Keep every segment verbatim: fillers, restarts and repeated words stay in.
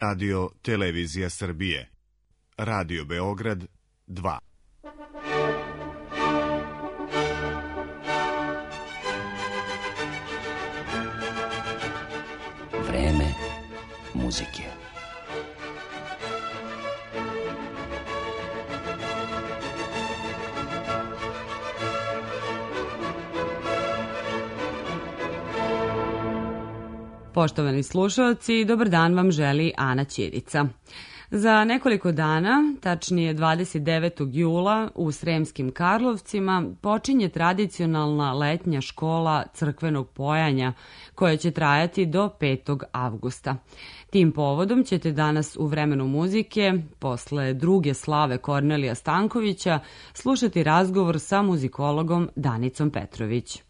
Radio Televizija Srbije. Radio Beograd dva. Vreme muzike. Poštovani slušalci, dobar dan vam želi Ana Ćirica. Za nekoliko dana, tačnije dvadeset devetog jula, u Sremskim Karlovcima počinje tradicionalna letnja škola crkvenog pojanja koja će trajati do petog avgusta. Tim povodom ćete danas u Vremenu muzike, posle druge slave Kornelija Stankovića, slušati razgovor sa muzikologom Danicom Petrović.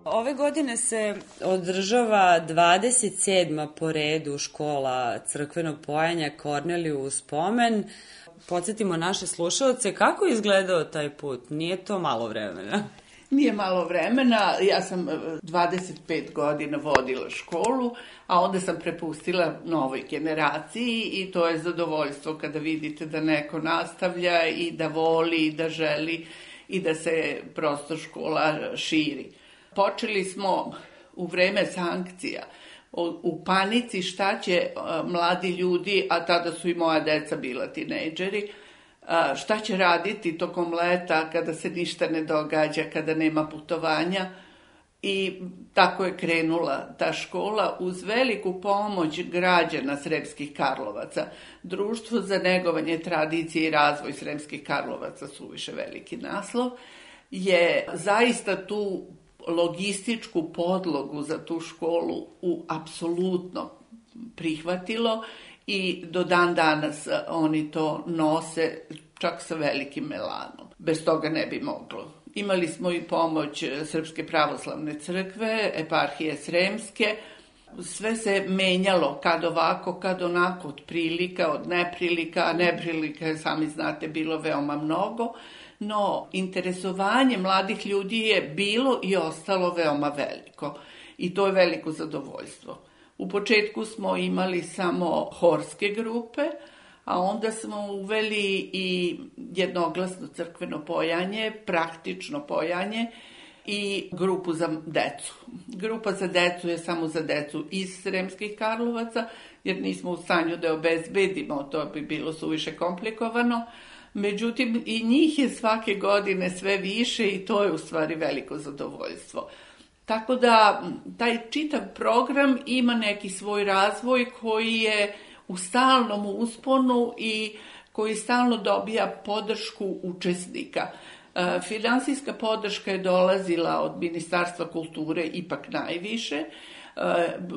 Ove godine se održava dvadeset sedma po redu škola crkvenog pojanja Korneliju u spomen. Podsjetimo naše slušalce kako je izgledao taj put. Nije to malo vremena? Nije malo vremena. Ja sam dvadeset pet godina vodila školu, a onda sam prepustila novoj generaciji i to je zadovoljstvo kada vidite da neko nastavlja i da voli i da želi i da se prosto škola širi. Počeli smo u vreme sankcija, u panici šta će mladi ljudi, a tada su i moja deca bila tinejdžeri, šta će raditi tokom leta kada se ništa ne događa, kada nema putovanja. I tako je krenula ta škola uz veliku pomoć građana Sremskih Karlovaca. Društvo za negovanje tradicije i razvoj Sremskih Karlovaca, suviše veliki naslov, je zaista tu logističku podlogu za tu školu u apsolutno prihvatilo i do dan danas oni to nose čak sa velikim melanom. Bez toga ne bi moglo. Imali smo i pomoć Srpske pravoslavne crkve, eparhije Sremske, Sve se menjalo, kad ovako, kad onako, od prilika, od neprilika, a neprilika, sami znate, bilo veoma mnogo, no interesovanje mladih ljudi je bilo i ostalo veoma veliko i to je veliko zadovoljstvo. U početku smo imali samo horske grupe, a onda smo uveli i jednoglasno crkveno pojanje, praktično pojanje i grupu za decu. Grupa za decu je samo za decu iz Sremskih Karlovaca, jer nismo u stanju da obezbedimo, to bi bilo suviše komplikovano. Međutim, i njih je svake godine sve više i to je u stvari veliko zadovoljstvo. Tako da taj čitav program ima neki svoj razvoj koji je u stalnom usponu i koji stalno dobija podršku učesnika. Finansijska podrška je dolazila od Ministarstva kulture ipak najviše,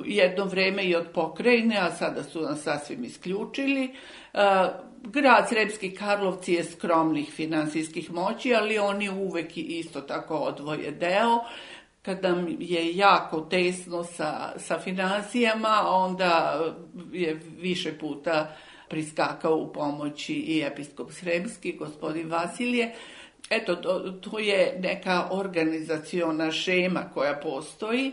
jedno vreme i od pokrajine, a sada su nas sasvim isključili. Grad Sremski Karlovci je skromnih finansijskih moći, ali oni uvek isto tako odvoje deo. Kad nam je jako tesno sa, sa finansijama, onda je više puta priskakao u pomoći i episkop Sremski, gospodin Vasilije. Eto, to, to je neka organizaciona šema koja postoji.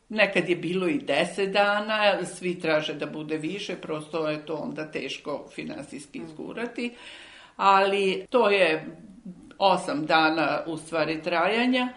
Nekad je bilo i deset dana, svi traže da bude više, prosto je to onda teško finansijski izgurati, ali to je osam dana u stvari trajanja.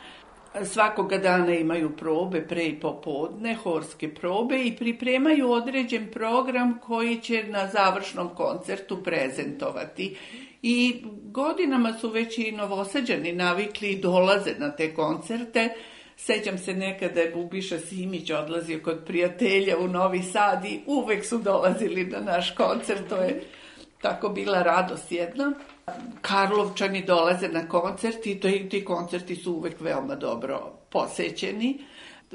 Svakoga dana imaju probe pre i popodne, horske probe i pripremaju određen program koji će na završnom koncertu prezentovati. I godinama su već i Novosađani navikli i dolaze na te koncerte. Sećam se nekada je Bubiša Simić odlazio kod prijatelja u Novi Sad i uvek su dolazili na naš koncert, to je tako bila radost jedna. Karlovčani dolaze na koncert i ti koncerti su uvek veoma dobro posećeni.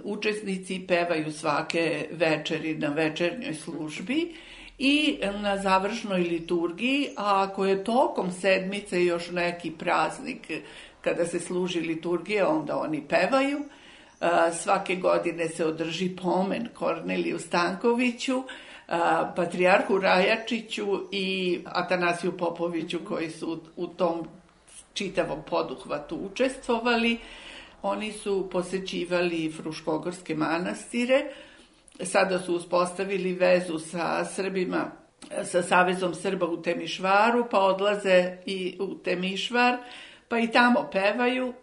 Učesnici pevaju svake večeri na večernjoj službi i na završnoj liturgiji, a ako je tokom sedmice još neki praznik kada se služi liturgija, onda oni pevaju. Svake godine se održi pomen Korneliju Stankoviću, patrijarhu Rajačiću i Atanasiju Popoviću koji su u tom čitavom poduhvatu učestvovali. Oni su posećivali Fruškogorske manastire. Sada su uspostavili vezu sa Srbima, sa Savezom Srba u Temišvaru, pa odlaze i u Temišvar, pa i tamo pevaju,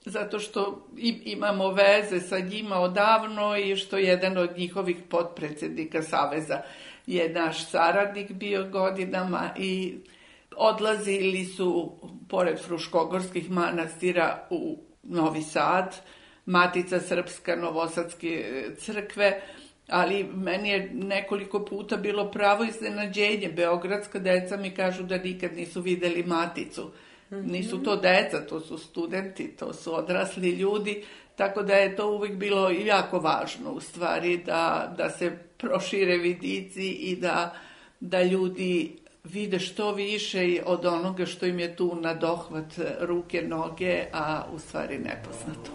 zato što imamo veze sa njima odavno i što jedan od njihovih potpredsjednika Saveza je naš saradnik bio godinama i odlazili su, pored Fruškogorskih manastira, u Novi Sad, Matica Srpska, Novosadske crkve, ali meni je nekoliko puta bilo pravo iznenađenje. Beogradska deca mi kažu da nikad nisu videli Maticu. Nisu to deca, to su studenti, to su odrasli ljudi, tako da je to uvijek bilo jako važno u stvari da, da se prošire vidici i da, da ljudi vide što više od onoga što im je tu na dohvat ruke, noge, a u stvari nepoznato.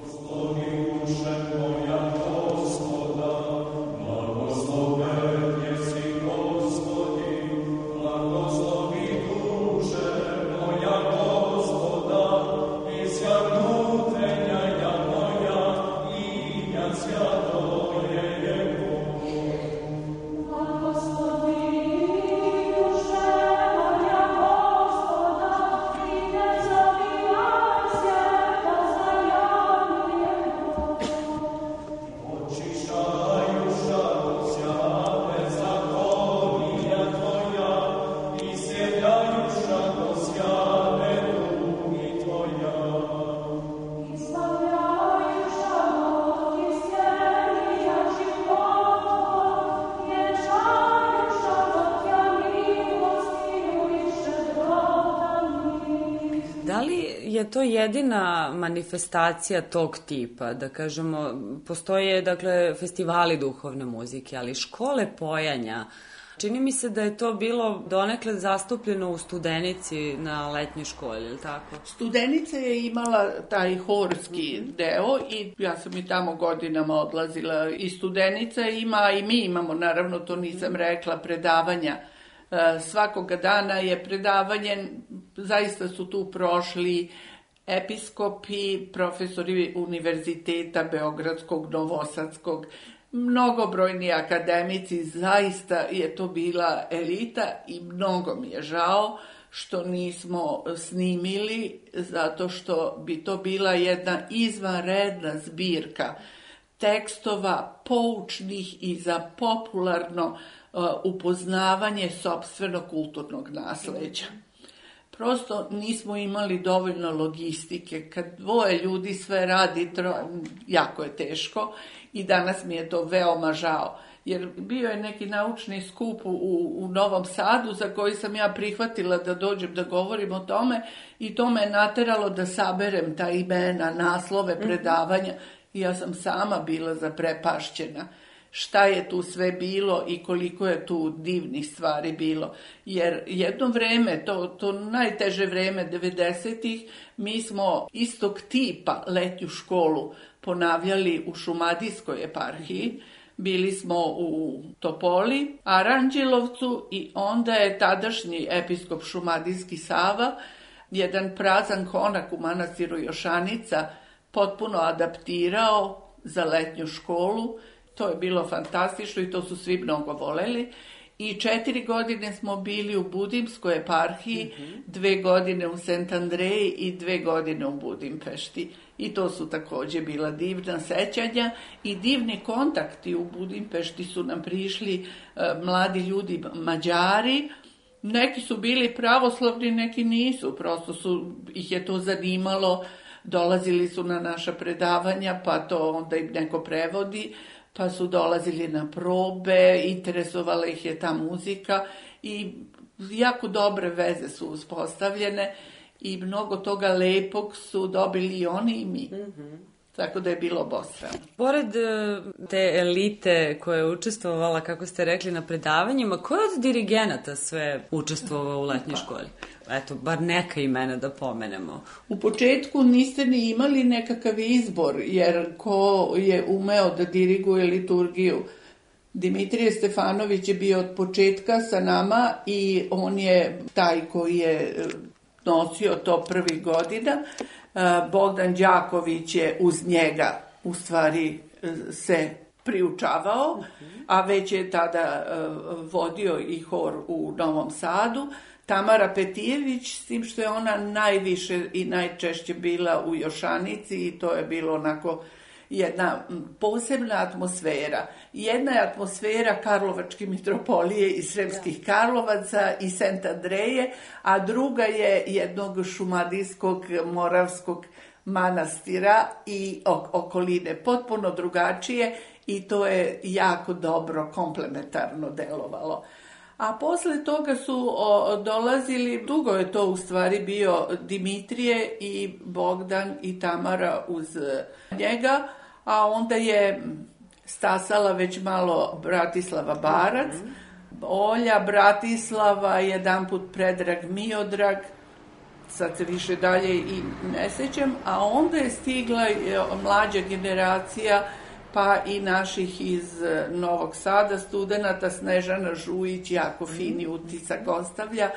Je to jedina manifestacija tog tipa, da kažemo, postoje dakle festivali duhovne muzike, ali škole pojanja Čini mi se da je to bilo donekle zastupljeno u Studenici na letnjoj školi, ili tako? Studenica je imala taj horski deo i ja sam i tamo godinama odlazila. I Studenica ima, i mi imamo, naravno to nisam rekla, predavanja. Svakoga dana je predavanje, zaista su tu prošli episkopi, profesori univerziteta Beogradskog, Novosadskog, mnogobrojni akademici, zaista je to bila elita i mnogo mi je žao što nismo snimili, zato što bi to bila jedna izvanredna zbirka tekstova poučnih i za popularno uh, upoznavanje sopstvenog kulturnog nasleđa. Prosto nismo imali dovoljno logistike. Kad dvoje ljudi sve radi, tro, jako je teško i danas mi je to veoma žao. Jer bio je neki naučni skup u, u Novom Sadu za koji sam ja prihvatila da dođem da govorim o tome i to me je nateralo da saberem ta imena, naslove, predavanja i ja sam sama bila zaprepašćena. Šta je tu sve bilo i koliko je tu divnih stvari bilo. Jer jedno vreme, to, to najteže vreme devedesetih, mi smo istog tipa letnju školu ponavljali u Šumadijskoj eparhiji. Bili smo u Topoli, Aranđelovcu i onda je tadašnji episkop Šumadijski Sava, jedan prazan konak u manastiru Jošanica, potpuno adaptirao za letnju školu. To je bilo fantastično i to su svi mnogo voleli. I četiri godine smo bili u Budimskoj eparhiji, mm-hmm. dve godine u Sent Andreji i dve godine u Budimpešti. I to su također bila divna sećanja i divni kontakti. U Budimpešti su nam prišli uh, mladi ljudi Mađari. Neki su bili pravoslavni, neki nisu. Prosto su, ih je to zanimalo. Dolazili su na naša predavanja, pa to onda im neko prevodi. Pa su dolazili na probe, interesovala ih je ta muzika i jako dobre veze su uspostavljene i mnogo toga lepog su dobili i oni i mi. Mm-hmm. Tako da je bilo obostrano. Pored te elite koja je učestvovala, kako ste rekli, na predavanjima, ko je od dirigenata sve učestvovao u letnjoj školi? Eto, bar neka imena da pomenemo. U početku niste ni imali nekakav izbor, jer ko je umeo da diriguje liturgiju. Dimitrije Stefanović je bio od početka sa nama i on je taj koji je nosio to prvih godina. Bogdan Đaković je uz njega u stvari se priučavao, a već je tada vodio i hor u Novom Sadu. Tamara Petijević, s tim što je ona najviše i najčešće bila u Jošanici i to je bilo onako jedna posebna atmosfera. Jedna je atmosfera Karlovačke mitropolije i Sremskih Karlovaca i Sent Andreje, a druga je jednog šumadijskog moravskog manastira i okoline. Potpuno drugačije i to je jako dobro komplementarno delovalo. A posle toga su o, dolazili, dugo je to u stvari bio Dimitrije i Bogdan i Tamara uz njega, a onda je stasala već malo Bratislava Barac, Olja, Bratislava, jedan put Predrag Miodrag, sad se više dalje i ne sećam, a onda je stigla mlađa generacija, pa i naših iz Novog Sada studenata, Snežana Žujić, jako fini utisak ostavlja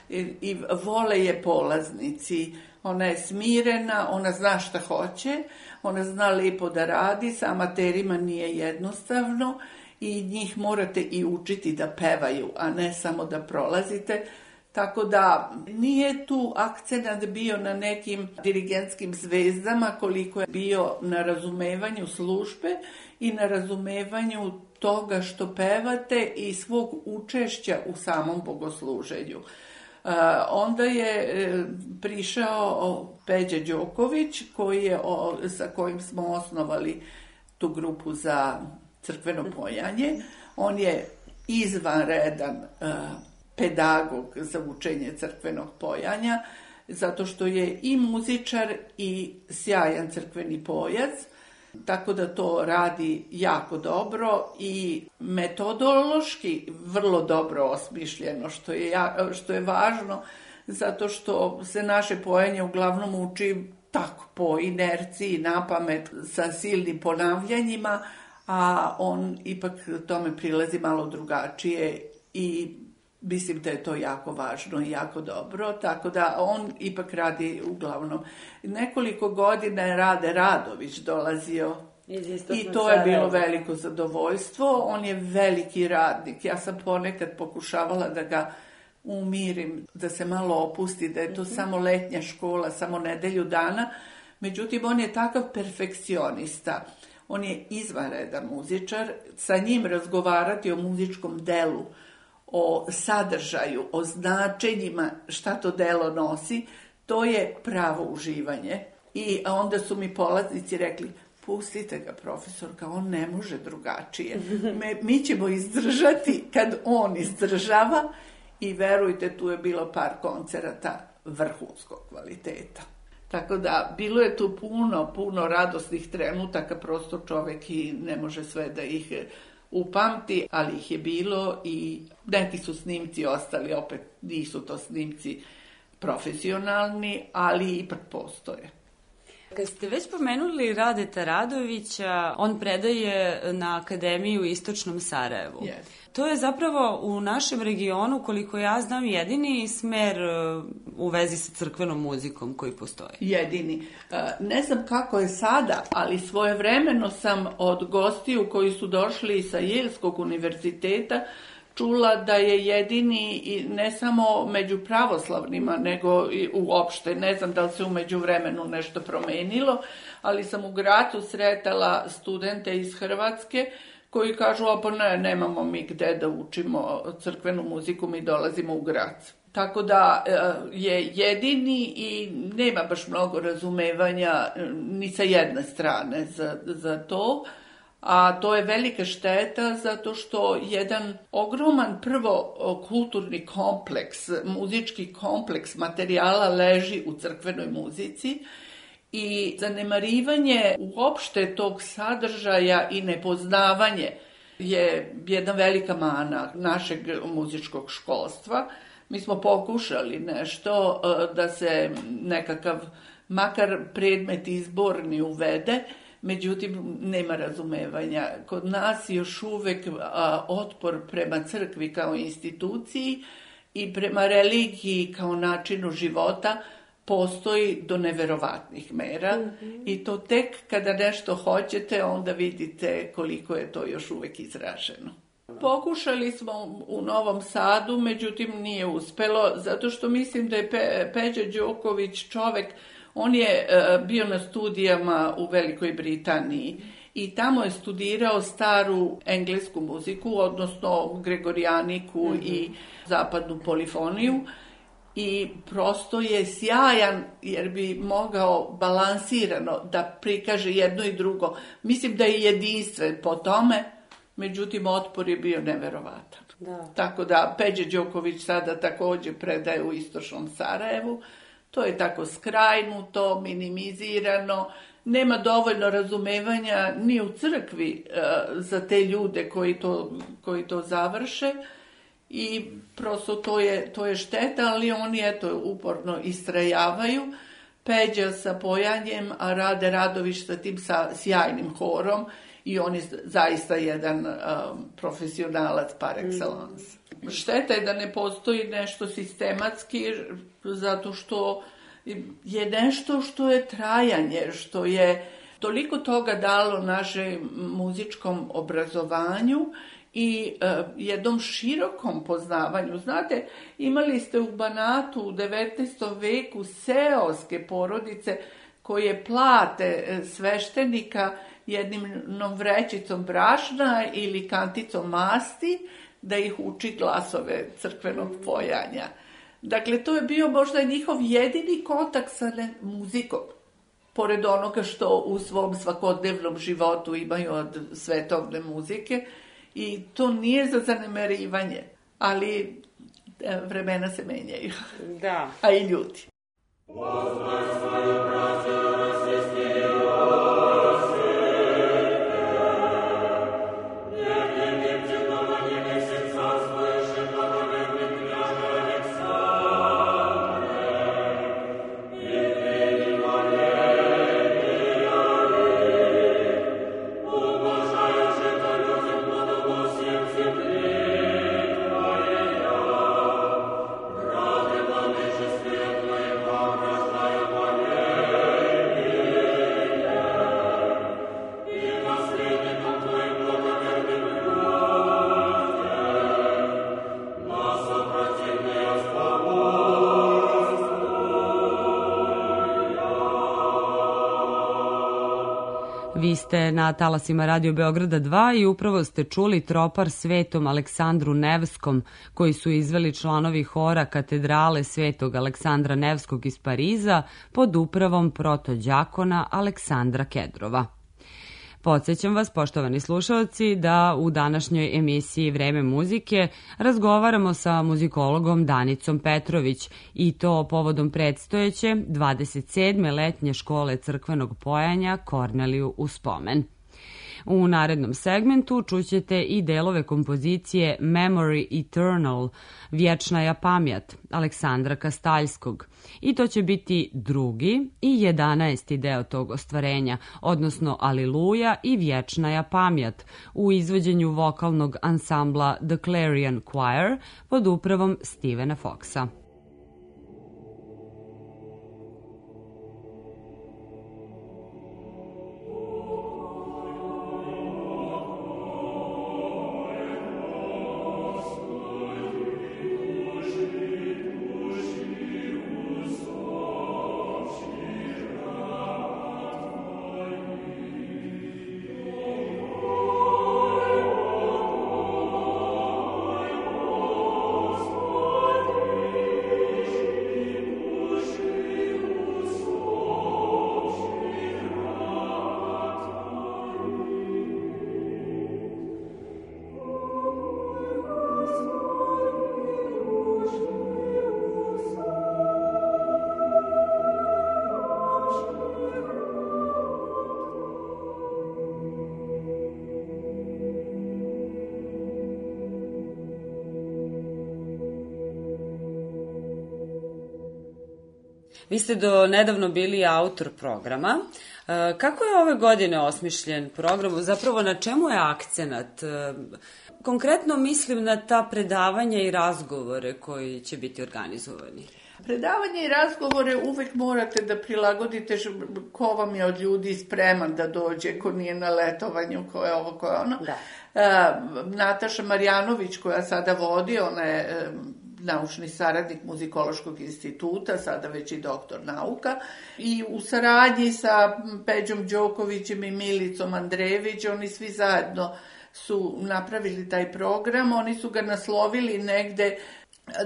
i, i vole je polaznici. Ona je smirena, ona zna šta hoće, ona zna lepo da radi, sa amaterima nije jednostavno i njih morate i učiti da pevaju, a ne samo da prolazite. Tako da nije tu akcenat bio na nekim dirigentskim zvezdama koliko je bio na razumevanju službe i na razumevanju toga što pevate i svog učešća u samom bogosluženju. Uh, onda je uh, prišao Peđa Đoković koji je, o, sa kojim smo osnovali tu grupu za crkveno pojanje. On je izvanredan uh, pedagog za učenje crkvenog pojanja, zato što je i muzičar i sjajan crkveni pojac. Tako da to radi jako dobro i metodološki vrlo dobro osmišljeno, što je, što je važno, zato što se naše pojenje uglavnom uči tako, po inerciji, napamet, sa silnim ponavljanjima, a on ipak tome prilazi malo drugačije i mislim da je to jako važno i jako dobro, tako da on ipak radi uglavnom. Nekoliko godina je Rade Radović dolazio i to je bilo veliko zadovoljstvo. On je veliki radnik. Ja sam ponekad pokušavala da ga umirim, da se malo opusti, da je to mm-hmm. samo letnja škola, samo nedelju dana. Međutim, on je takav perfekcionista. On je izvanredan muzičar. Sa njim razgovarati o muzičkom delu, o sadržaju, o značenjima šta to delo nosi, to je pravo uživanje. I onda su mi polaznici rekli, pustite ga, profesorka, on ne može drugačije. Me, mi ćemo izdržati kad on izdržava i verujte, tu je bilo par koncerata vrhunskog kvaliteta. Tako da, bilo je tu puno, puno radosnih trenutaka, prosto čovek i ne može sve da ih upamti, ali ih je bilo i neki su snimci ostali, opet nisu to snimci profesionalni, ali ipak postoje. Kad ste već pomenuli Radeta Radovića, on predaje na Akademiji u Istočnom Sarajevu. Yes. To je zapravo u našem regionu, koliko ja znam, jedini smer u vezi sa crkvenom muzikom koji postoji. Jedini. Ne znam kako je sada, ali svojevremeno sam od gostiju koji su došli sa Jelskog univerziteta čula da je jedini, i ne samo među pravoslavnima, nego i uopšte. Ne znam da li se u međuvremenu nešto promenilo, ali sam u Gracu sretala studente iz Hrvatske koji kažu, a pa ne, nemamo mi gde da učimo crkvenu muziku, mi dolazimo u Grac. Tako da je jedini i nema baš mnogo razumevanja ni sa jedne strane za, za to. A to je velika šteta zato što jedan ogroman prvo kulturni kompleks, muzički kompleks materijala leži u crkvenoj muzici i zanemarivanje uopšte tog sadržaja i nepoznavanje je jedna velika mana našeg muzičkog školstva. Mi smo pokušali nešto da se nekakav makar predmet izborni uvede, međutim, nema razumevanja. Kod nas još uvek a, otpor prema crkvi kao instituciji i prema religiji kao načinu života postoji do neverovatnih mera. Mm-hmm. I to tek kada nešto hoćete, onda vidite koliko je to još uvek izraženo. Pokušali smo u Novom Sadu, međutim nije uspelo, zato što mislim da je Pe, Peđa Đoković čovek. On je uh, bio na studijama u Velikoj Britaniji i tamo je studirao staru englesku muziku, odnosno gregorijaniku mm-hmm. i zapadnu polifoniju i prosto je sjajan jer bi mogao balansirano da prikaže jedno i drugo. Mislim da je jedinstven po tome, međutim otpor je bio neverovatan. Da. Tako da Peđa Đoković sada također predaje u Istočnom Sarajevu. To je tako skrajnuto, minimizirano, nema dovoljno razumevanja ni u crkvi e, za te ljude koji to, koji to završe i prosto to je, to je šteta, ali oni eto uporno istrajavaju. Peđa sa pojanjem, a Rade Radović sa tim sa sjajnim horom i on je zaista jedan um, profesionalac par excellence. Mm. Šteta je da ne postoji nešto sistematski, zato što je nešto što je trajanje, što je toliko toga dalo našem muzičkom obrazovanju i uh, jednom širokom poznavanju. Znate, imali ste u Banatu u devetnaestom veku seoske porodice koje plate sveštenika jednom vrećicom brašna ili kanticom masti da ih uči glasove crkvenog pojanja. Dakle, to je bio možda njihov jedini kontakt sa muzikom, pored onoga što u svom svakodnevnom životu imaju od svetovne muzike. I to nije za zanemarivanje, ali vremena se menjaju. Da. A i ljudi. Was Vi ste na talasima Radio Beograda dva i upravo ste čuli Tropar Svetom Aleksandru Nevskom, koji su izveli članovi hora Katedrale Svetog Aleksandra Nevskog iz Pariza pod upravom protođakona Aleksandra Kedrova. Podsjećam vas, poštovani slušalci, da u današnjoj emisiji Vreme muzike razgovaramo sa muzikologom Danicom Petrović i to povodom predstojeće dvadeset sedme letnje škole crkvenog pojanja Korneliju u spomen. U narednom segmentu čućete i delove kompozicije Memory Eternal, Vječnaja pamjat, Aleksandra Kastaljskog. I to će biti drugi i jedanaesti deo tog ostvarenja, odnosno Aliluja i Vječnaja pamjat, u izvođenju vokalnog ansambla The Clarion Choir pod upravom Stevena Foxa. Vi ste do nedavno bili autor programa. Kako je ove godine osmišljen program? Zapravo na čemu je akcenat? Konkretno mislim na ta predavanja i razgovore koji će biti organizovani. Predavanje i razgovore uvek morate da prilagodite ko vam je od ljudi spreman da dođe, ko nije na letovanju, ko je ovo, ko je ono. Da. Uh, Nataša Marjanović, koja sada vodi, ona je um, naučni saradnik Muzikološkog instituta, sada već i doktor nauka. I u saradnji sa Peđom Đokovićem i Milicom Andrejević, oni svi zajedno su napravili taj program. Oni su ga naslovili negde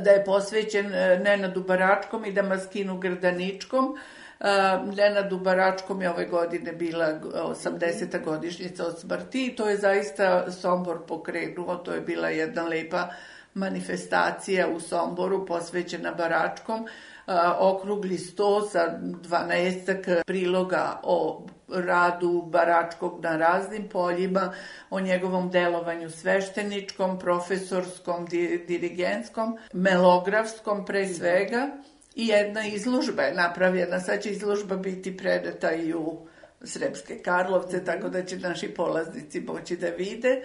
da je posvećen Nenadu Baračkom i Damaskinu Grdaničkom. Nenadu Baračkom je ove godine bila osamdeseta godišnjica od smrti i to je zaista Sombor pokrenuo, to je bila jedna lepa manifestacija u Somboru posvećena Baračkom, okrugli sto sa dvanaestak priloga o radu Baračkog na raznim poljima, o njegovom delovanju svešteničkom, profesorskom, dirigentskom, melografskom pre svega. I jedna izložba je napravljena, sad će izložba biti predata i u Sremske Karlovce, tako da će naši polaznici moći da vide.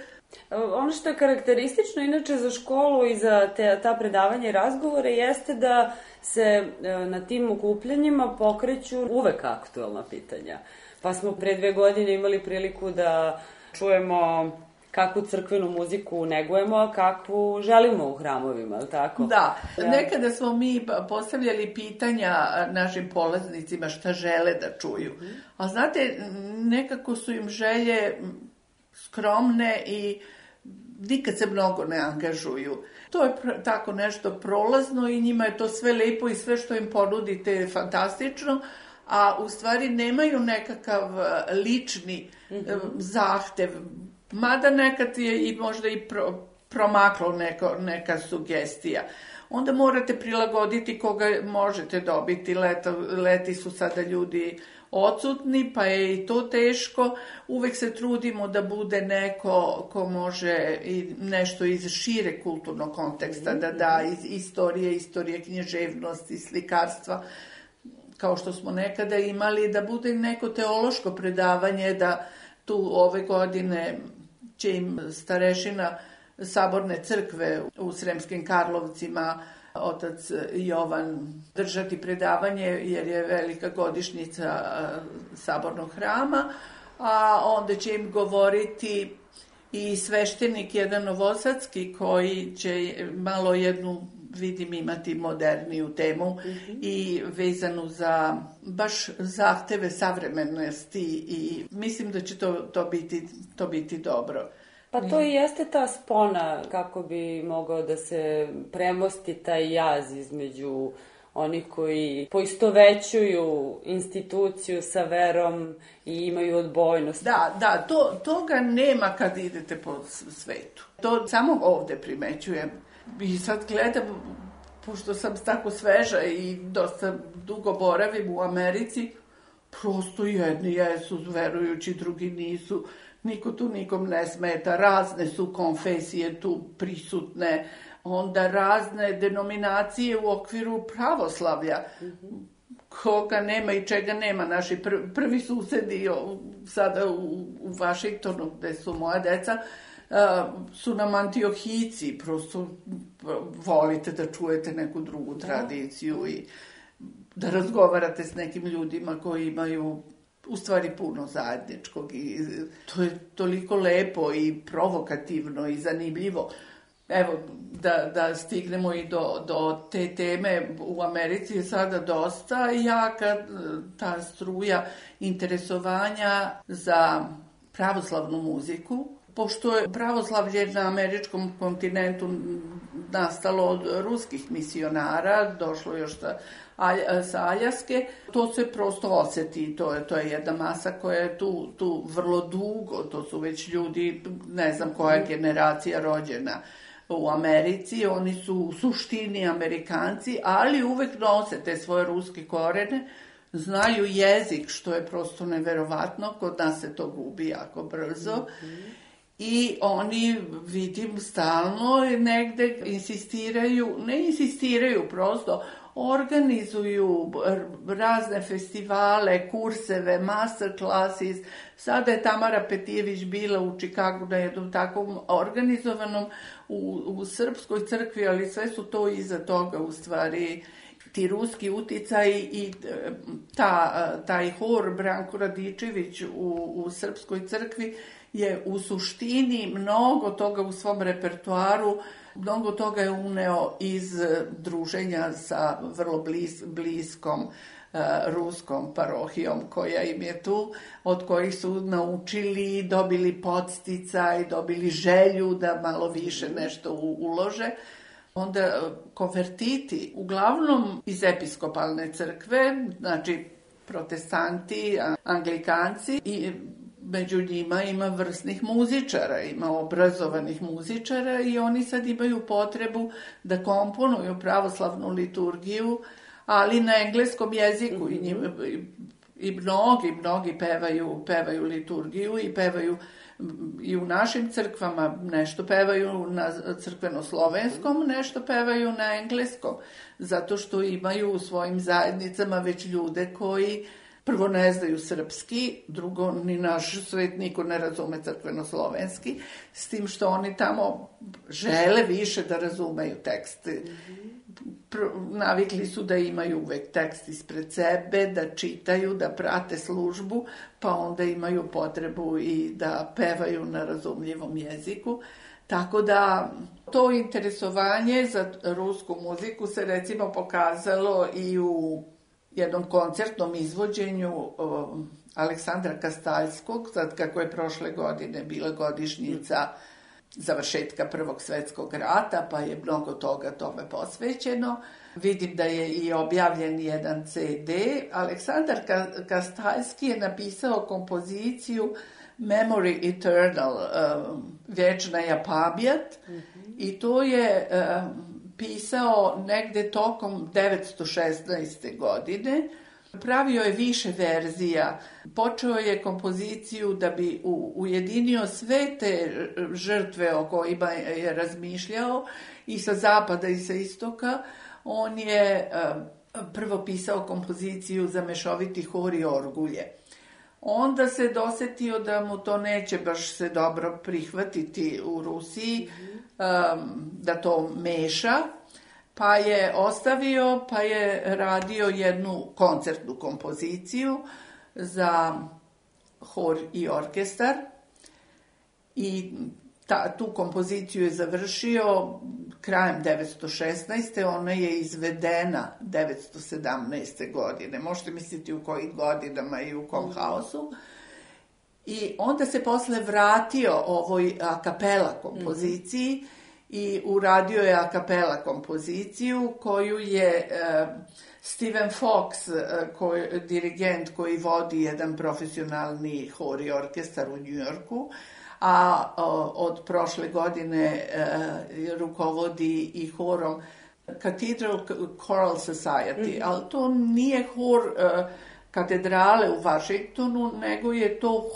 Ono što je karakteristično inače za školu i za te, ta predavanja i razgovore jeste da se na tim okupljanjima pokreću uvek aktuelna pitanja. Pa smo pre dve godine imali priliku da čujemo kakvu crkvenu muziku negujemo, a kakvu želimo u hramovima, ali tako? Da, nekada smo mi postavljali pitanja našim polaznicima šta žele da čuju. A znate, nekako su im želje skromne i nikad se mnogo ne angažuju. To je tako nešto prolazno i njima je to sve lepo i sve što im ponudite je fantastično, a u stvari nemaju nekakav lični mm-hmm. zahtev. Mada nekad je i možda i pro, promaklo neko, neka sugestija. Onda morate prilagoditi koga možete dobiti. Leta, leti su sada ljudi odsutni, pa je i to teško. Uvek se trudimo da bude neko ko može i nešto iz šire kulturnog konteksta da da, iz istorije, istorije književnosti, slikarstva, kao što smo nekada imali, da bude neko teološko predavanje, da tu ove godine će im starešina Saborne crkve u Sremskim Karlovcima, otac Jovan, držati predavanje jer je velika godišnjica Sabornog hrama, a onda će im govoriti i sveštenik jedan novosadski koji će malo jednu vidim imati moderniju temu mm-hmm. i vezanu za baš zahteve savremenosti i mislim da će to, to, biti, to biti dobro. Pa to i jeste ta spona kako bi mogao da se premosti taj jaz između onih koji poistovećuju instituciju sa verom i imaju odbojnost. Da, da, to, toga nema kad idete po svetu. To samo ovde primećujem. I sad gledam, pošto sam tako sveža i dosta dugo boravim u Americi, prosto jedni jesu verujući, drugi nisu. Niko tu nikom ne smeta, razne su konfesije tu prisutne, onda razne denominacije u okviru pravoslavlja. Mm-hmm. Koga nema i čega nema. Naši pr prvi susedi sada u, u Vašingtonu, gde su moja deca, uh, su nam Antiohici, prosto volite da čujete neku drugu tradiciju i da razgovarate s nekim ljudima koji imaju u stvari puno zajedničkog i to je toliko lepo i provokativno i zanimljivo. Evo, da, da stignemo i do, do te teme, u Americi je sada dosta jaka ta struja interesovanja za pravoslavnu muziku, pošto je pravoslavlje na američkom kontinentu nastalo od ruskih misionara, došlo još sa, sa Aljaske, to se prosto oseti, to je, to je jedna masa koja je tu, tu vrlo dugo, to su već ljudi, ne znam koja je generacija rođena u Americi, oni su u suštini Amerikanci, ali uvek nose te svoje ruske korene, znaju jezik, što je prosto neverovatno, kod nas se to gubi jako brzo. Mm-hmm. I oni, vidim, stalno negde insistiraju, ne insistiraju, prosto organizuju razne festivale, kurseve, master classes. Sada je Tamara Petijević bila u Čikagu na jednom takvom organizovanom u, u Srpskoj crkvi, ali sve su to iza toga u stvari ti ruski uticaj i ta, taj hor Branko Radičević u, u Srpskoj crkvi je u suštini mnogo toga u svom repertoaru, mnogo toga je uneo iz druženja sa vrlo blis, bliskom uh, ruskom parohijom koja im je tu, od kojih su naučili, dobili podsticaj, dobili želju da malo više nešto u, ulože. Onda konvertiti, uglavnom iz episkopalne crkve, znači protestanti, anglikanci i među njima ima vrsnih muzičara, ima obrazovanih muzičara i oni sad imaju potrebu da komponuju pravoslavnu liturgiju, ali na engleskom jeziku i, njima, i mnogi, mnogi pevaju, pevaju liturgiju i pevaju i u našim crkvama, nešto pevaju na crkveno-slovenskom, nešto pevaju na engleskom, zato što imaju u svojim zajednicama već ljude koji prvo ne znaju srpski, drugo ni naš svet niko ne razume crkveno-slovenski, s tim što oni tamo žele više da razumeju tekst. Navikli su da imaju uvek tekst ispred sebe, da čitaju, da prate službu, pa onda imaju potrebu i da pevaju na razumljivom jeziku. Tako da to interesovanje za rusku muziku se recimo pokazalo i u jednom koncertnom izvođenju o, Aleksandra Kastaljskog, sad kako je prošle godine bila godišnjica završetka Prvog svetskog rata, pa je mnogo toga tome posvećeno. Vidim da je i objavljen jedan ce de. Aleksandar Kastaljski je napisao kompoziciju Memory Eternal, um, Vječna je pamjat, mm-hmm. i to je um, pisao negde tokom devetsto šesnaeste. godine. Pravio je više verzija. Počeo je kompoziciju da bi u, ujedinio sve te žrtve o kojima je razmišljao i sa zapada i sa istoka. On je um, prvo pisao kompoziciju za mešoviti hor i orgulje. Onda se dosetio da mu to neće baš se dobro prihvatiti u Rusiji, um, da to meša, pa je ostavio, pa je radio jednu koncertnu kompoziciju za hor i orkestar i ta, tu kompoziciju je završio krajem devetsto šesnaeste. Ona je izvedena devetsto sedamnaeste. godine. Možete misliti u kojim godinama i u kom haosu. I onda se posle vratio ovoj a kapela kompoziciji mm-hmm. i uradio je a kapela kompoziciju koju je uh, Steven Fox, uh, koji, dirigent koji vodi jedan profesionalni hor i orkestar u Njujorku, a uh, od prošle godine uh, rukovodi i horom Cathedral Choral Society, mm-hmm. ali to nije hor uh, katedrale u Vašingtonu, nego je to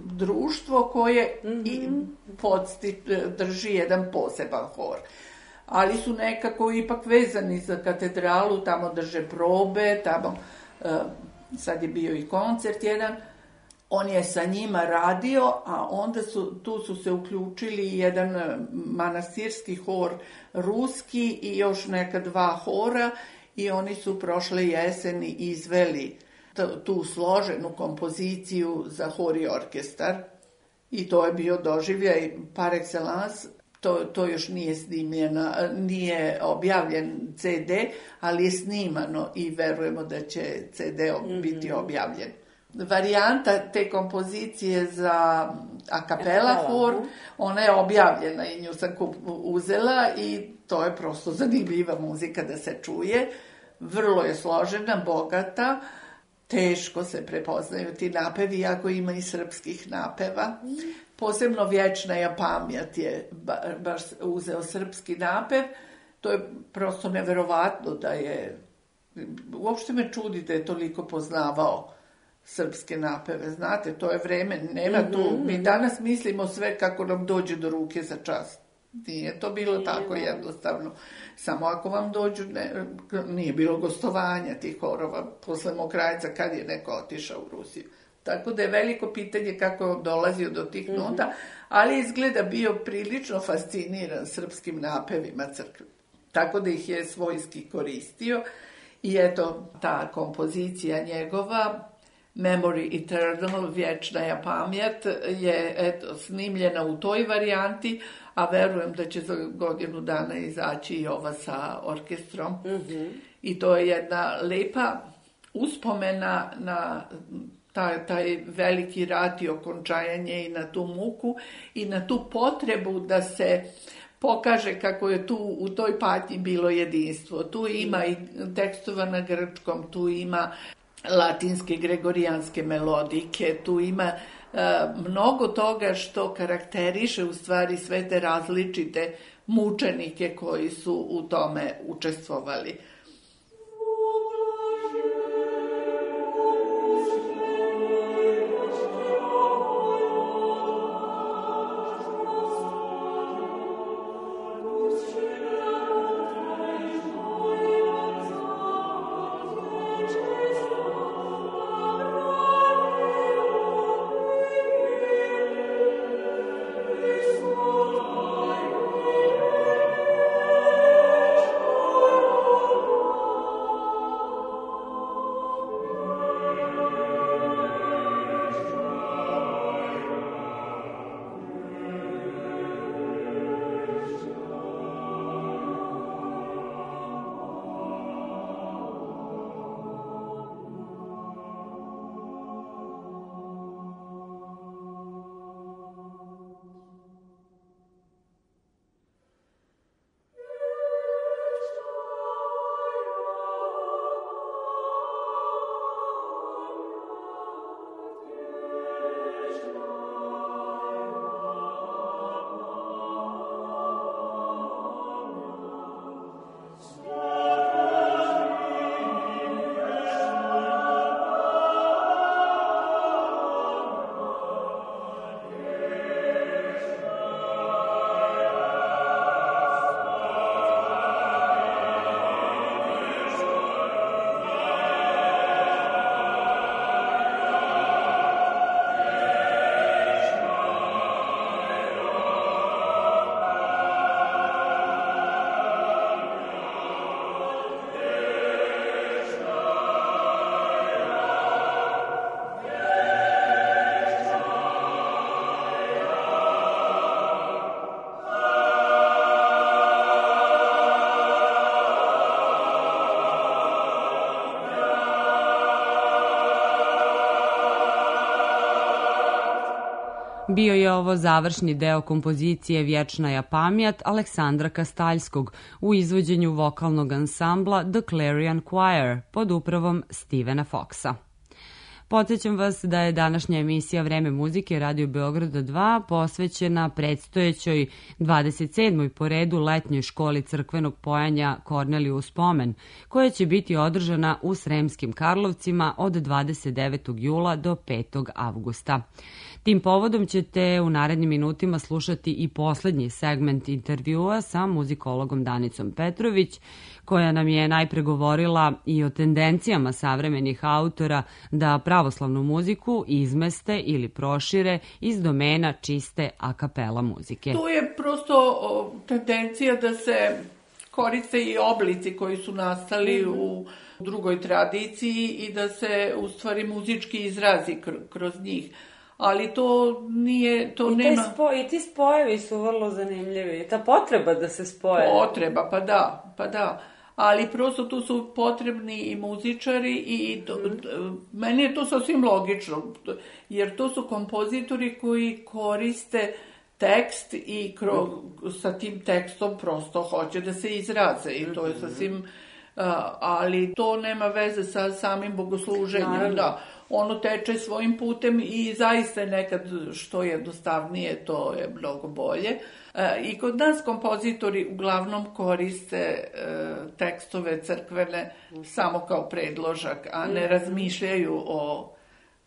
društvo koje mm-hmm. i podsti, drži jedan poseban hor. Ali su nekako ipak vezani za katedralu, tamo drže probe, tamo uh, sad je bio i koncert jedan. On je sa njima radio, a onda su, tu su se uključili jedan manastirski hor ruski i još neka dva hora i oni su prošle jeseni izveli tu složenu kompoziciju za hor i orkestar i to je bio doživljaj par excellence. To, to još nije snimljeno, nije objavljen ce de, ali je snimano i verujemo da će ce de mm-hmm. biti objavljen. Varijanta te kompozicije za a cappella hor, ona je objavljena i nju sam uzela i to je prosto zanimljiva muzika da se čuje. Vrlo je složena, bogata, teško se prepoznaju ti napevi, iako ima i srpskih napeva. Posebno Vječna je pamjat je baš uzeo srpski napev. To je prosto neverovatno da je, uopšte me čudi da je toliko poznavao srpske napeve. Znate, to je vreme, nema tu, mm-hmm. mi danas mislimo sve kako nam dođe do ruke za čas. Nije to bilo tako jednostavno. Samo ako vam dođu, ne, nije bilo gostovanja tih horova posle Mokrajca kad je neko otišao u Rusiju. Tako da je veliko pitanje kako je on dolazio do tih mm-hmm. nota, ali izgleda bio prilično fasciniran srpskim napevima crkve. Tako da ih je svojski koristio i eto ta kompozicija njegova Memory Eternal, Vječna je pamjat, je eto, snimljena u toj varijanti, a verujem da će za godinu dana izaći i ova sa orkestrom. Mm-hmm. I to je jedna lepa uspomena na taj, taj veliki rat i okončajanje i na tu muku i na tu potrebu da se pokaže kako je tu u toj patnji bilo jedinstvo. Tu ima i tekstova na grčkom, tu ima latinske gregorijanske melodike, tu ima uh, mnogo toga što karakteriše u stvari sve te različite mučenike koji su u tome učestvovali. Oh Bio je ovo završni deo kompozicije Vječnaja pamjat Aleksandra Kastaljskog u izvođenju vokalnog ansambla The Clarion Choir pod upravom Stevena Foxa. Podsjećam vas da je današnja emisija Vreme muzike Radio Beograda dva posvećena predstojećoj dvadeset sedmoj po redu letnjoj školi crkvenog pojanja Korneliju Spomen, koja će biti održana u Sremskim Karlovcima od dvadeset devetog jula do petog avgusta. Tim povodom ćete u narednim minutima slušati i poslednji segment intervjua sa muzikologom Danicom Petrović, koja nam je najpre govorila i o tendencijama savremenih autora da pravoslavnu muziku izmeste ili prošire iz domena čiste a kapela muzike. Tu je prosto o, tendencija da se koriste i oblici koji su nastali mm-hmm. u drugoj tradiciji i da se u stvari muzički izrazi kr- kroz njih. Ali to nije, to I nema... Spo, I ti spojevi su vrlo zanimljivi. Ta potreba da se spoje. Potreba, pa da, pa da. Ali prosto tu su potrebni i muzičari i to, mm. meni je to sasvim logično, jer to su kompozitori koji koriste tekst i kro, mm. sa tim tekstom prosto hoće da se izraze i to je sasvim, uh, ali to nema veze sa samim bogosluženjem, Naravno. da. Ono teče svojim putem i zaista nekad što je jednostavnije, to je mnogo bolje. E, I kod nas kompozitori uglavnom koriste e, tekstove crkvene samo kao predložak, a ne razmišljaju o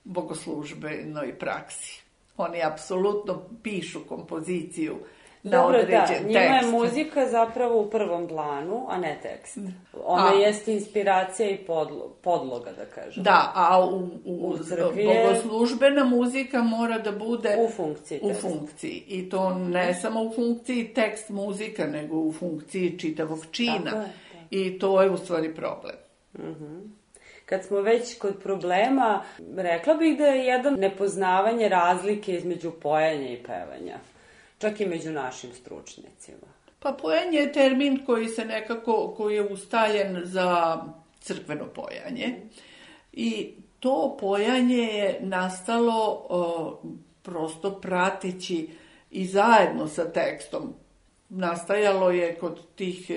bogoslužbenoj praksi. Oni apsolutno pišu kompoziciju na Dobro, određen da, tekst. njima je muzika zapravo u prvom planu, a ne tekst. Ona a, jeste inspiracija i podlo, podloga, da kažem. Da, a u, u, u bogoslužbena muzika mora da bude u funkciji. U funkciji. I to ne samo u funkciji tekst muzika, nego u funkciji čitavog čina. Tako je, tako. I to je u stvari problem. Uh-huh. Kad smo već kod problema, rekla bih da je jedan nepoznavanje razlike između pojanja i pevanja. Čak i među našim stručnjacima. Pa pojanje je termin koji se nekako, koji je ustaljen za crkveno pojanje. I to pojanje je nastalo o, prosto prateći i zajedno sa tekstom. Nastajalo je kod tih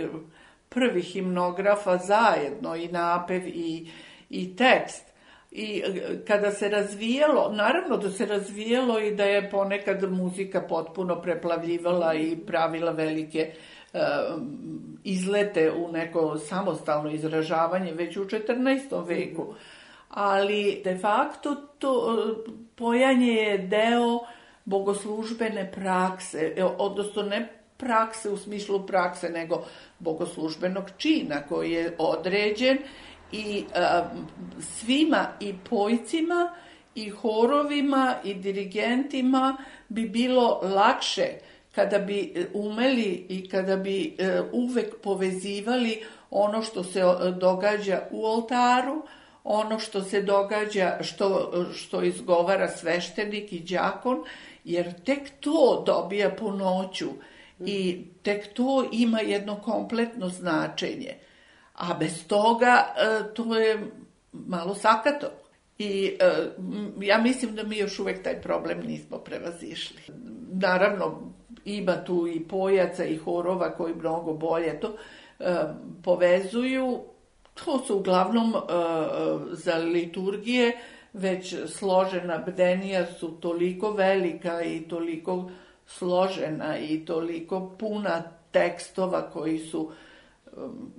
prvih himnografa zajedno i napev i, i tekst. I kada se razvijalo, naravno da se razvijalo i da je ponekad muzika potpuno preplavljivala i pravila velike e, izlete u neko samostalno izražavanje već u četrnaestom veku. Ali de facto to pojanje je deo bogoslužbene prakse, odnosno ne prakse u smislu prakse, nego bogoslužbenog čina koji je određen. I a, svima, i pojcima, i horovima, i dirigentima bi bilo lakše kada bi umeli i kada bi e, uvek povezivali ono što se događa u oltaru, ono što se događa, što, što izgovara sveštenik i đakon, jer tek to dobija punoću i tek to ima jedno kompletno značenje. A bez toga to je malo sakato. I ja mislim da mi još uvek taj problem nismo prevazišli. Naravno, ima tu i pojaca i horova koji mnogo bolje to povezuju. To su uglavnom za liturgije već složena bdenija su toliko velika i toliko složena i toliko puna tekstova koji su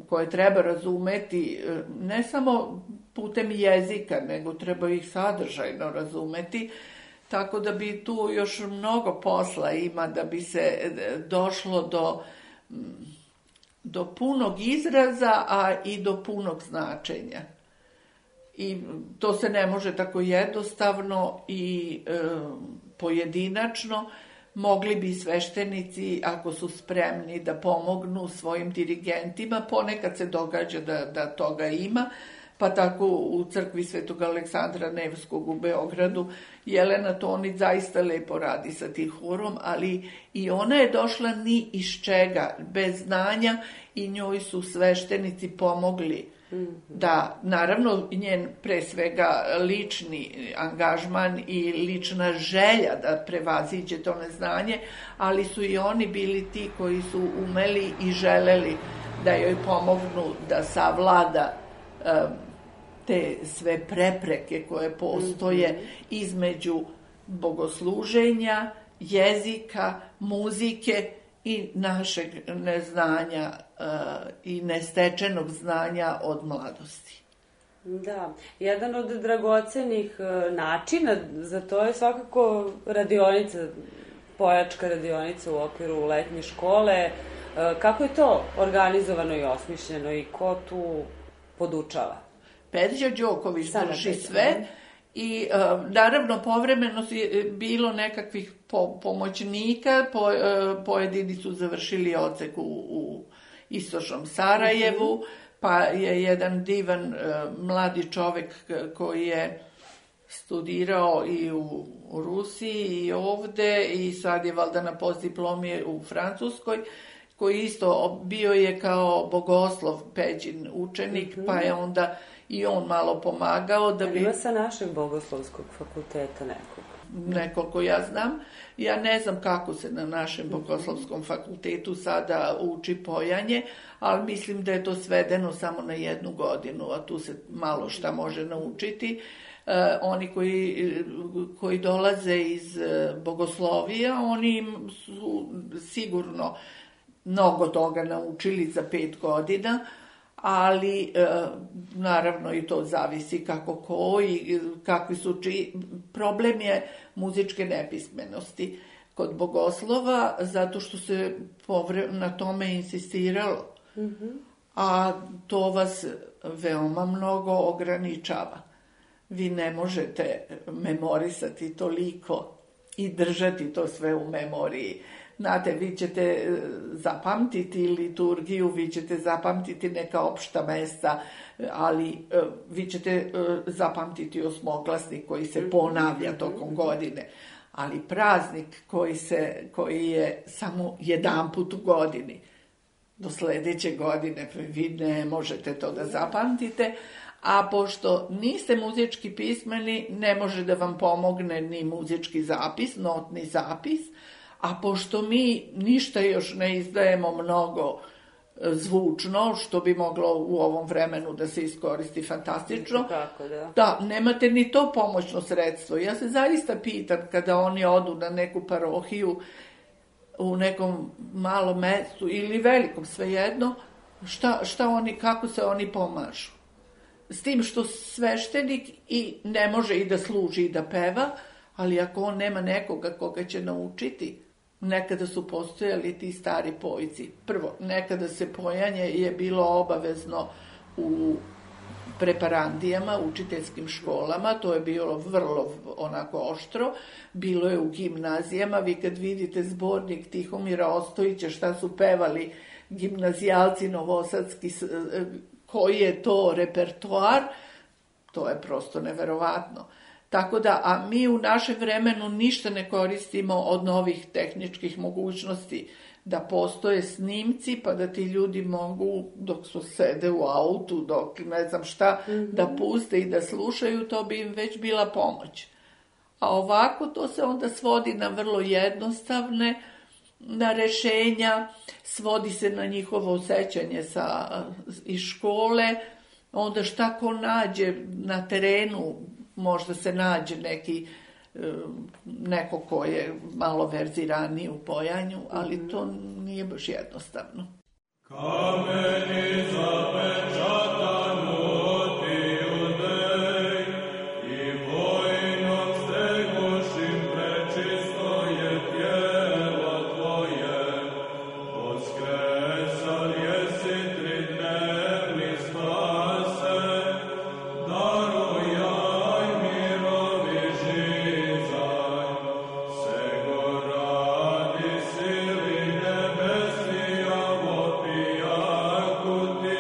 koje treba razumeti ne samo putem jezika, nego treba ih sadržajno razumeti, tako da bi tu još mnogo posla ima da bi se došlo do, do punog izraza, a i do punog značenja. I to se ne može tako jednostavno i e, pojedinačno. Mogli bi sveštenici, ako su spremni, da pomognu svojim dirigentima. Ponekad se događa da, da toga ima. pa tako u crkvi Svetog Aleksandra Nevskog u Beogradu. Jelena Tonić zaista lepo radi sa tim horom, ali i ona je došla ni iz čega, bez znanja, i njoj su sveštenici pomogli da, naravno, njen pre svega lični angažman i lična želja da prevaziđe to neznanje, ali su i oni bili ti koji su umeli i želeli da joj pomognu da savlada um, te sve prepreke koje postoje između bogosluženja, jezika, muzike i našeg neznanja uh, i nestečenog znanja od mladosti. Da, jedan od dragocenih uh, načina za to je svakako radionica, pojačka radionica u okviru letnje škole. Uh, kako je to organizovano i osmišljeno i ko tu podučava? Peđa Đoković drži sve. I uh, naravno povremeno je bilo nekakvih po, pomoćnika, po, uh, pojedini su završili odsek u, u istočnom Sarajevu, mm-hmm. pa je jedan divan uh, mladi čovek koji je studirao i u, u Rusiji i ovde i sad je valjda na postdiplomi u Francuskoj, koji isto bio je kao bogoslov Peđin učenik, mm-hmm. pa je onda i on malo pomagao da bi... Ima sa našeg bogoslovskog fakulteta nekog? Nekoliko ja znam. Ja ne znam kako se na našem bogoslovskom fakultetu sada uči pojanje, ali mislim da je to svedeno samo na jednu godinu, a tu se malo šta može naučiti. E, oni koji, koji dolaze iz bogoslovija, oni su sigurno mnogo toga naučili za pet godina, ali e, naravno i to zavisi kako ko i kakvi su čiji. Problem je muzičke nepismenosti kod bogoslova, zato što se povre, na tome insistiralo. Mm-hmm. A to vas veoma mnogo ograničava. Vi ne možete memorisati toliko i držati to sve u memoriji. Znate, vi ćete zapamtiti liturgiju, vi ćete zapamtiti neka opšta mesta, ali vi ćete zapamtiti osmoglasnik koji se ponavlja tokom godine. Ali praznik koji, se, koji je samo jedan put u godini, do sledeće godine vi ne možete to da zapamtite, a pošto niste muzički pismeni, ne može da vam pomogne ni muzički zapis, notni zapis, a pošto mi ništa još ne izdajemo mnogo zvučno, što bi moglo u ovom vremenu da se iskoristi fantastično, tako, da. da, nemate ni to pomoćno sredstvo. Ja se zaista pitam kada oni odu na neku parohiju u nekom malom mestu ili velikom, svejedno, šta, šta oni, kako se oni pomažu. S tim što sveštenik i ne može i da služi i da peva, ali ako on nema nekoga koga će naučiti, nekada su postojali ti stari pojci. Prvo, nekada se pojanje je bilo obavezno u preparandijama, učiteljskim školama, to je bilo vrlo onako oštro, bilo je u gimnazijama. Vi kad vidite zbornik Tihomira Ostojića šta su pevali gimnazijalci novosadski, koji je to repertoar, to je prosto neverovatno. Tako da, a mi u našem vremenu ništa ne koristimo od novih tehničkih mogućnosti, da postoje snimci pa da ti ljudi mogu, dok su sede u autu, dok ne znam šta, mm-hmm. da puste i da slušaju, to bi im već bila pomoć. A ovako to se onda svodi na vrlo jednostavne, na rešenja, svodi se na njihovo sećanje sa, iz škole, onda šta ko nađe na terenu, možda se nađe neki, neko ko je malo verziraniji u pojanju, ali to nije baš jednostavno. Kameni zapečatanu ti judej i vojnom stegošim prečisto je tijelo tvoje, voskresal jesi tri dnevni spase, darujaj mirovi žizaj, sego radi sili nebesnija vopija kuti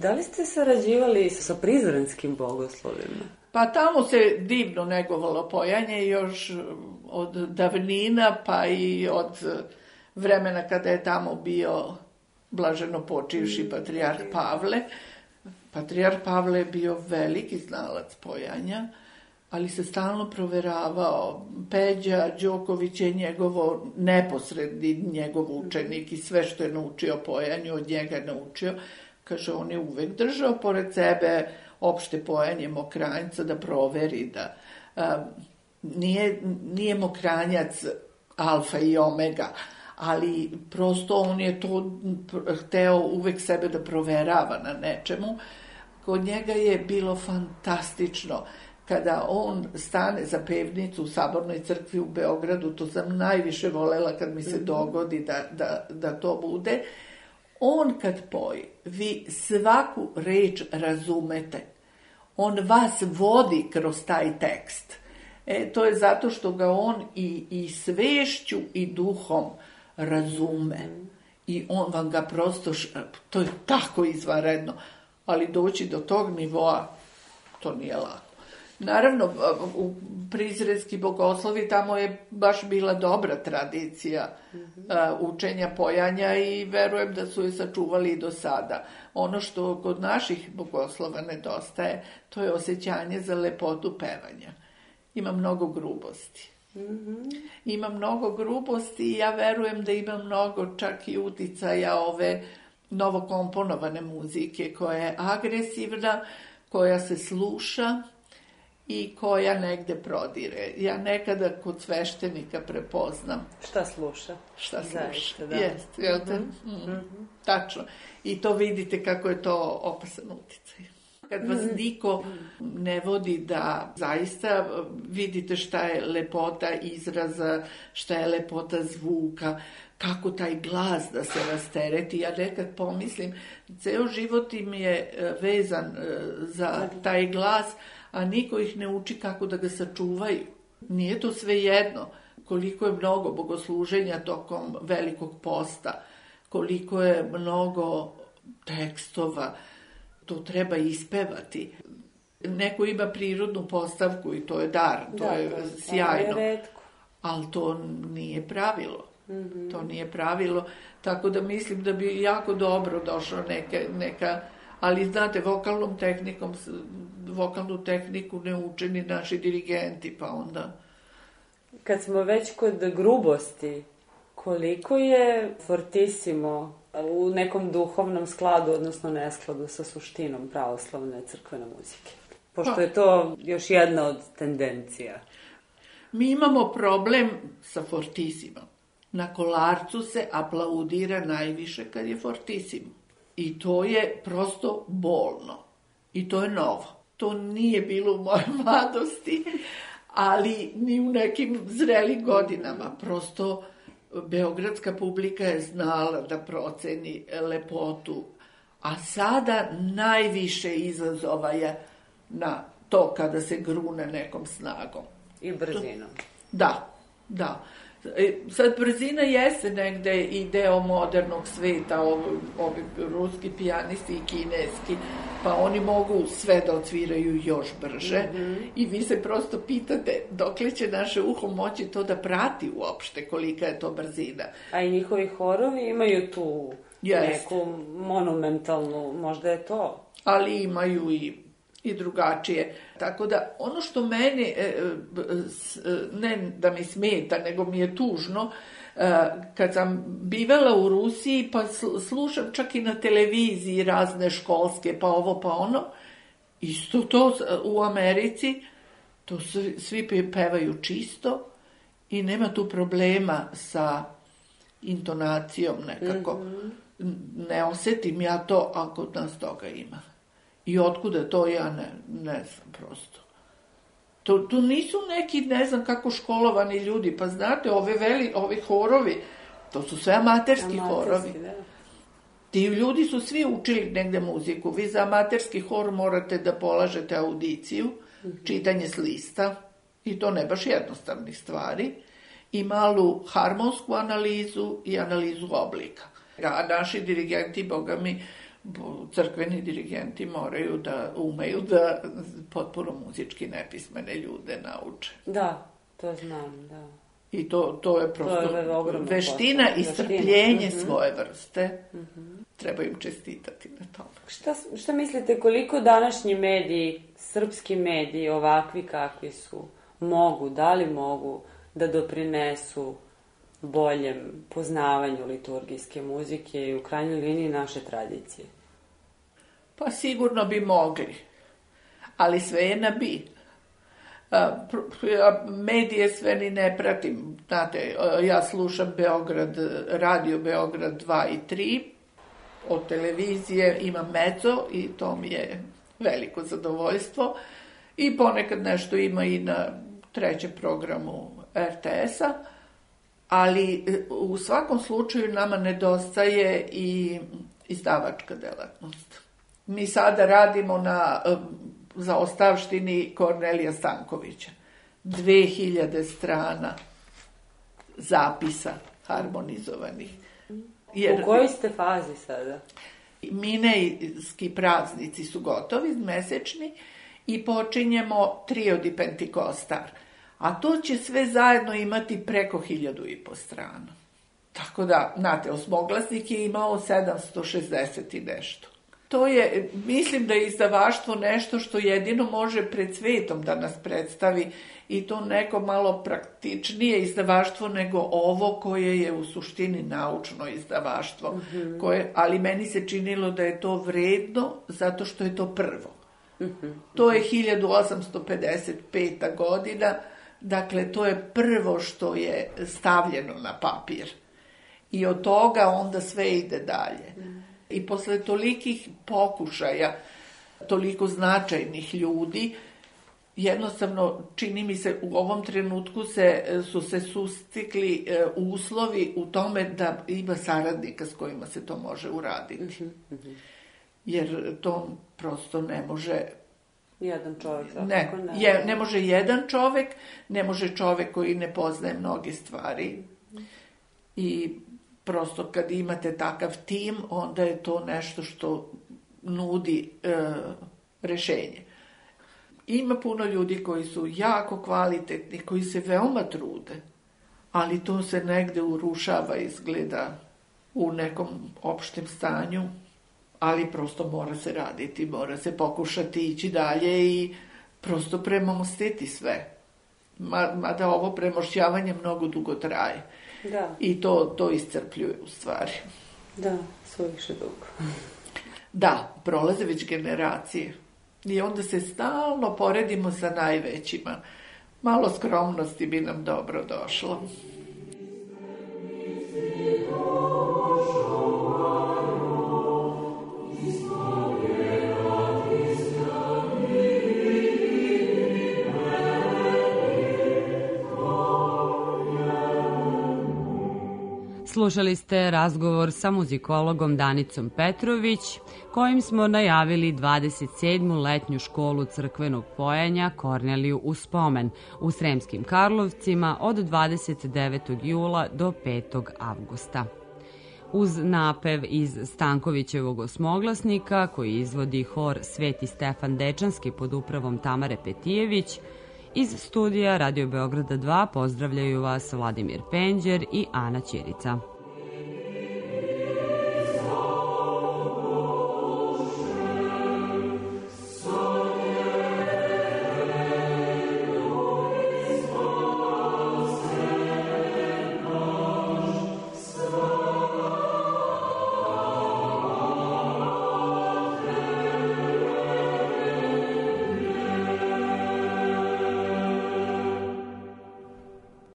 Da li ste sarađivali sa prizrenskim bogoslovima? Pa tamo se divno negovalo pojanje još od davnina, pa i od vremena kada je tamo bio blaženo počivši patrijarh Pavle. Patrijarh Pavle je bio veliki znalac pojanja, ali se stalno proveravao. Peđa Đoković je njegovo neposredni njegov učenik i sve što je naučio pojanju od njega naučio. Kaže, on je uvek držao pored sebe opšte pojanje Mokranjca da proveri da a, nije, nije Mokranjac alfa i omega, ali prosto on je to hteo uvek sebe da proverava na nečemu. Kod njega je bilo fantastično kada on stane za pevnicu u Sabornoj crkvi u Beogradu, to sam najviše volela kad mi se dogodi da, da, da to bude. On kad poji, vi svaku reč razumete. On vas vodi kroz taj tekst. E, to je zato što ga on i, i svešću i duhom razume. I on vam ga prosto, to je tako izvanredno, ali doći do tog nivoa, to nije lako. Naravno, u prizrenski bogoslovi tamo je baš bila dobra tradicija mm-hmm. učenja pojanja i verujem da su je sačuvali i do sada. Ono što kod naših bogoslova nedostaje, to je osjećanje za lepotu pevanja. Ima mnogo grubosti. Mm-hmm. Ima mnogo grubosti i ja verujem da ima mnogo čak i uticaja ove novokomponovane muzike koja je agresivna, koja se sluša i koja negde prodire. Ja nekada kod sveštenika prepoznam. Šta sluša? Šta sluša, Zaista, da. jest. Jel te? Mm-hmm. Mm-hmm. Tačno. I to vidite kako je to opasan uticaj. Kad vas niko ne vodi da zaista vidite šta je lepota izraza, šta je lepota zvuka, kako taj glas da se rastereti. Ja nekad pomislim, ceo život im je vezan za taj glas, a niko ih ne uči kako da ga sačuvaju. Nije to sve jedno. Koliko je mnogo bogosluženja tokom Velikog posta, koliko je mnogo tekstova, to treba ispevati. Neko ima prirodnu postavku i to je dar, to da, je to, sjajno. To je retko. Ali to nije pravilo. Mm-hmm. To nije pravilo. Tako da mislim da bi jako dobro došlo neka, neka ali znate, vokalnom tehnikom, vokalnu tehniku ne uče ni naši dirigenti, pa onda... Kad smo već kod grubosti, koliko je fortissimo u nekom duhovnom skladu, odnosno neskladu sa suštinom pravoslavne crkvene muzike? Pošto je to još jedna od tendencija. Mi imamo problem sa fortissimom. Na Kolarcu se aplaudira najviše kad je fortissimo. I to je prosto bolno. I to je novo. To nije bilo u mojoj mladosti, ali ni u nekim zrelim godinama. Prosto beogradska publika je znala da proceni lepotu. A sada najviše izazova je na to kada se grune nekom snagom. I brzinom. Da, da. Sad, brzina jeste negde i deo modernog sveta, ovi, ovi ruski pijanisti i kineski, pa oni mogu sve da odsviraju još brže. Mm-hmm. I vi se prosto pitate dokle će naše uho moći to da prati uopšte, kolika je to brzina. A i njihovi horovi imaju tu Jest. neku monumentalnu, možda je to. Ali imaju i i drugačije. Tako da, ono što meni, ne da mi smeta, nego mi je tužno, kad sam bivala u Rusiji, pa slušam čak i na televiziji razne školske, pa ovo, pa ono, isto to u Americi, to svi pevaju čisto i nema tu problema sa intonacijom nekako. Mm-hmm. Ne osetim ja to, a kod nas toga ima. I otkuda to ja ne, ne znam prosto. To, to nisu neki, ne znam kako školovani ljudi, pa znate, ove veli, ovi horovi, to su sve amaterski, amaterski horovi. Da. Ti ljudi su svi učili negde muziku. Vi za amaterski hor morate da polažete audiciju, mm-hmm. čitanje s lista, i to ne baš jednostavnih stvari, i malu harmonsku analizu i analizu oblika. A naši dirigenti, boga mi, crkveni dirigenti moraju da umeju da potpuno muzički nepismene ljude nauče. Da, to znam, da. I to, to je prosto to je veština i strpljenje uh-huh. svoje vrste. Uh-huh. Treba im čestitati na tome. Šta, šta mislite, koliko današnji mediji, srpski mediji, ovakvi kakvi su, mogu, da li mogu da doprinesu boljem poznavanju liturgijske muzike i u krajnjoj liniji naše tradicije? Pa sigurno bi mogli, ali sve je na bi. Medije sve ni ne pratim. Znate, ja slušam Beograd, radio Beograd dva i tri, od televizije imam Meco i to mi je veliko zadovoljstvo. I ponekad nešto ima i na trećem programu er te es-a, ali u svakom slučaju nama nedostaje i izdavačka delatnost. Mi sada radimo na zaostavštini Kornelija Stankovića. Dve hiljade strana zapisa harmonizovanih. Jer, u kojoj ste fazi sada? Minejski praznici su gotovi, mesečni, i počinjemo Triod i Pentikostar. A to će sve zajedno imati preko hiljadu i po strana. Tako da, znate, osmoglasnik je imao sedamsto šezdeset i nešto. To je, mislim da je izdavaštvo nešto što jedino može pred svetom da nas predstavi i to neko malo praktičnije izdavaštvo nego ovo koje je u suštini naučno izdavaštvo. Mm-hmm. Koje, ali meni se činilo da je to vredno zato što je to prvo. Mm-hmm. To je hiljadu osamsto pedeset peta godina, dakle to je prvo što je stavljeno na papir. I od toga onda sve ide dalje. Mm. I posle tolikih pokušaja, toliko značajnih ljudi, jednostavno, čini mi se, u ovom trenutku se, su se sustikli e, uslovi u tome da ima saradnika s kojima se to može uraditi. Mm-hmm. Jer to prosto ne može... Jedan čovjek. Ne, ne. Je, ne može jedan čovjek, ne može čovjek koji ne poznaje mnoge stvari. I prosto kad imate takav tim, onda je to nešto što nudi e, rešenje. Ima puno ljudi koji su jako kvalitetni, koji se veoma trude, ali to se negde urušava, izgleda, u nekom opštem stanju, ali prosto mora se raditi, mora se pokušati ići dalje i prosto premostiti sve. Mada ovo premošćavanje mnogo dugo traje. Da. I to, to iscrpljuje u stvari. Da, suviše dugo. Da, prolaze već generacije. I onda se stalno poredimo sa najvećima. Malo skromnosti bi nam dobro došlo. Slušali ste razgovor sa muzikologom Danicom Petrović, kojim smo najavili dvadeset sedmu letnju školu crkvenog pojenja Korneliju u spomen u Sremskim Karlovcima od dvadeset devetog jula do petog avgusta. Uz napev iz Stankovićevog osmoglasnika, koji izvodi hor Sveti Stefan Dečanski pod upravom Tamare Petijević, iz studija Radio Beograda dva pozdravljaju vas Vladimir Penđer i Ana Ćirica.